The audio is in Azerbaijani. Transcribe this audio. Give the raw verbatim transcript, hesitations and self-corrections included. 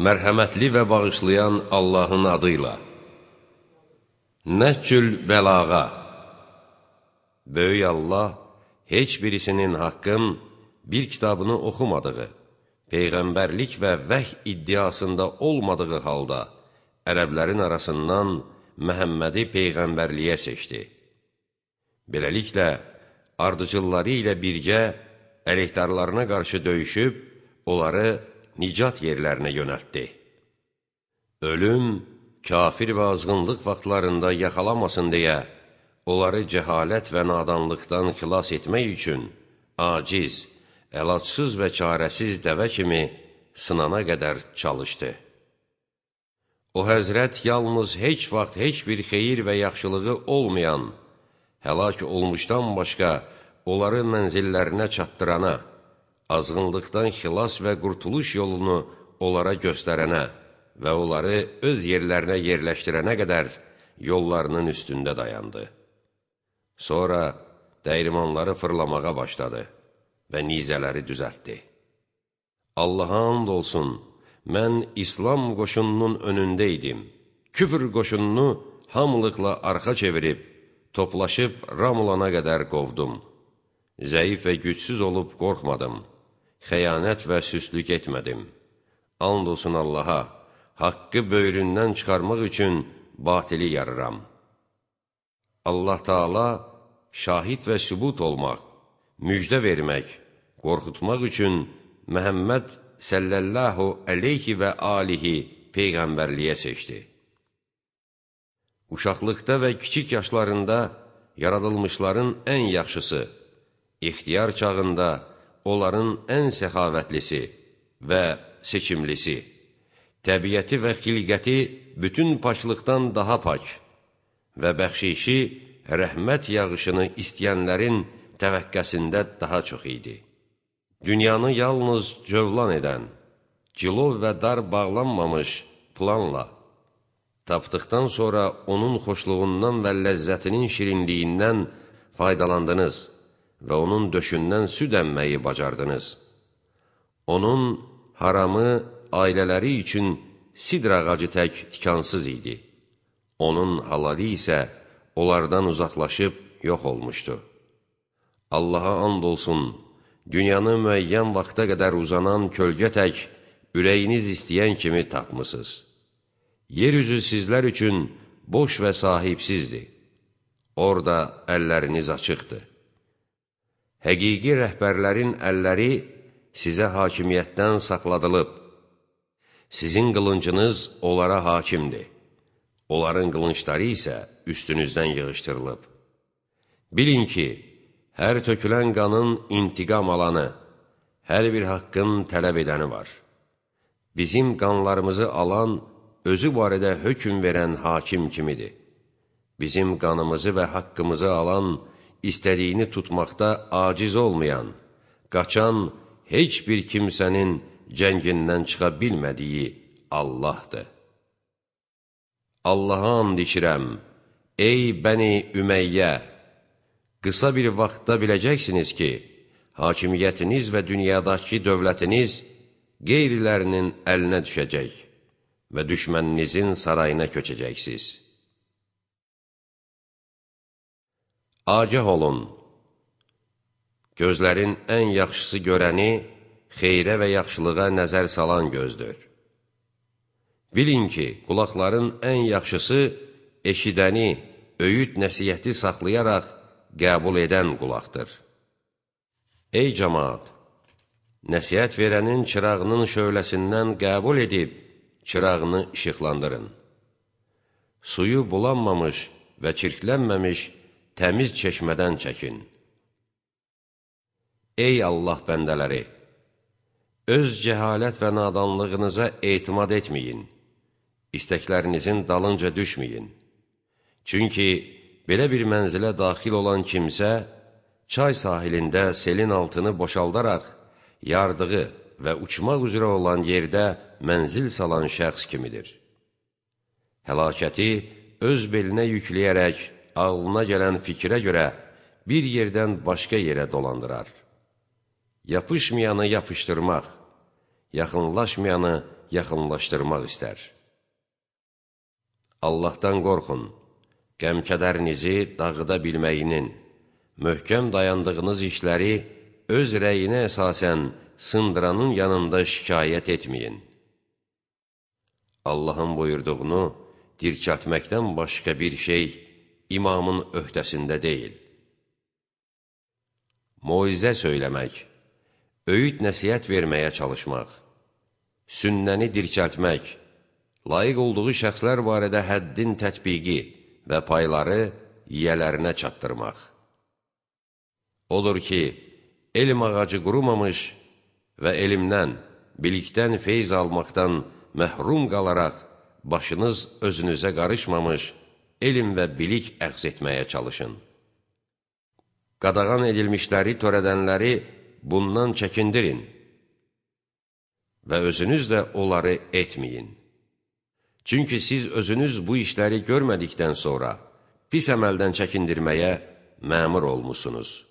Mərhəmətli və bağışlayan Allahın adıyla. Nəhcül bəlağa. Böyük Allah heç birisinin haqqın bir kitabını oxumadığı, peyğəmbərlik və vəhy iddiasında olmadığı halda ərəblərin arasından Məhəmmədi peyğəmbərliyə seçdi. Beləliklə, ardıcılları ilə birgə əleyhdarlarına qarşı döyüşüb, onları nicat yerlərinə yönəltdi. Ölüm, kafir və azğınlıq vaxtlarında yaxalamasın deyə, onları cəhalət və nadanlıqdan xilas etmək üçün aciz, əlacsız və çarəsiz dəvə kimi sınana qədər çalışdı. O həzrət yalnız heç vaxt heç bir xeyir və yaxşılığı olmayan, həlak olmuşdan başqa onları mənzillərinə çatdırana, azğınlıqdan xilas və qurtuluş yolunu onlara göstərənə və onları öz yerlərinə yerləşdirənə qədər yollarının üstündə dayandı. Sonra dəyirmanları fırlamağa başladı və nizələri düzəltdi. Allaha and olsun, mən İslam qoşununun önündə idim. Küfr qoşununu hamılıqla arxa çevirib, toplaşıb ram olana qədər qovdum. Zəif və gücsüz olub qorxmadım. Xəyanət və süslük etmədim. And olsun Allaha, haqqı böyründən çıxarmaq üçün batili yarıram. Allah Taala şahid və sübut olmaq, müjdə vermək, qorxutmaq üçün Məhəmməd səllallahu əleyhi və alihi peyğəmbərliyə seçdi. Uşaqlıqda və kiçik yaşlarında yaradılmışların ən yaxşısı, ixtiyar çağında onların ən səxavətlisi və seçimlisi, təbiəti və xilqəti bütün paçlıqdan daha pak və bəxşişi rəhmət yağışını istəyənlərin təvəqqəsində daha çox idi. Dünyanı yalnız cövlan edən, cilov və dar bağlanmamış planla, tapdıqdan sonra onun xoşluğundan və ləzzətinin şirinliyindən faydalandınız və onun döşündən süd əmməyi bacardınız. Onun haramı ailələri üçün sidr ağacı tək tikansız idi. Onun halalı isə onlardan uzaqlaşıb yox olmuşdu. Allaha and olsun, dünyanı müəyyən vaxta qədər uzanan kölgə tək ürəyiniz istəyən kimi tapmısınız. Yeryüzü sizlər üçün boş və sahibsizdir. Orada əlləriniz açıqdır. Həqiqi rəhbərlərin əlləri sizə hakimiyyətdən saxladılıb. Sizin qılıncınız onlara hakimdir. Onların qılınçları isə üstünüzdən yığışdırılıb. Bilin ki, hər tökülən qanın intiqam alanı, hər bir haqqın tələb edəni var. Bizim qanlarımızı alan, özü barədə hökm verən hakim kimidir. Bizim qanımızı və haqqımızı alan, istədiyini tutmaqda aciz olmayan, qaçan heç bir kimsənin cəngindən çıxa bilmədiyi Allahdır. Allaha and içirəm, ey Bəni Ümeyyə, qısa bir vaxtda biləcəksiniz ki, hakimiyyətiniz və dünyadakı dövlətiniz qeyrilərinin əlinə düşəcək və düşməninizin sarayına köçəcəksiniz. Agah olun, gözlərin ən yaxşısı görəni, xeyrə və yaxşılığa nəzər salan gözdür. Bilin ki, qulaqların ən yaxşısı eşidəni, öyüd nəsiyyəti saxlayaraq qəbul edən qulaqdır. Ey cəmaat, nəsiyyət verənin çırağının şöhləsindən qəbul edib, çırağını işıqlandırın. Suyu bulanmamış və çirklənməmiş təmiz çeşmədən çəkin. Ey Allah bəndələri! Öz cəhalət və nadanlığınıza etimad etməyin, istəklərinizin dalınca düşməyin. Çünki belə bir mənzilə daxil olan kimsə, çay sahilində selin altını boşaldaraq, yardığı və uçmaq üzrə olan yerdə mənzil salan şəxs kimidir. Həlakəti öz belinə yükləyərək, ağlına gələn fikrə görə bir yerdən başqa yerə dolandırar. Yapışmayanı yapışdırmaq, yaxınlaşmayanı yaxınlaşdırmaq istər. Allahdan qorxun, qəm-kədərinizi dağıda bilməyinin, möhkəm dayandığınız işləri öz rəyinə əsasən sındıranın yanında şikayət etməyin. Allahın buyurduğunu dirçəltməkdən başqa bir şey imamın öhdəsində deyil. Moizə söyləmək, öyüd nəsihət verməyə çalışmaq, sünnəni dirçəltmək, layiq olduğu şəxslər barədə həddin tətbiqi və payları yiyələrinə çatdırmaq. Odur ki, elm ağacı qurumamış və elmdən, bilikdən feyz almaqdan məhrum qalaraq, başınız özünüzə qarışmamış, elm və bilik əxz etməyə çalışın. Qadağan edilmişləri törədənləri bundan çəkindirin və özünüz də onları etməyin. Çünki siz özünüz bu işləri görmədikdən sonra pis əməldən çəkindirməyə məmur olmusunuz.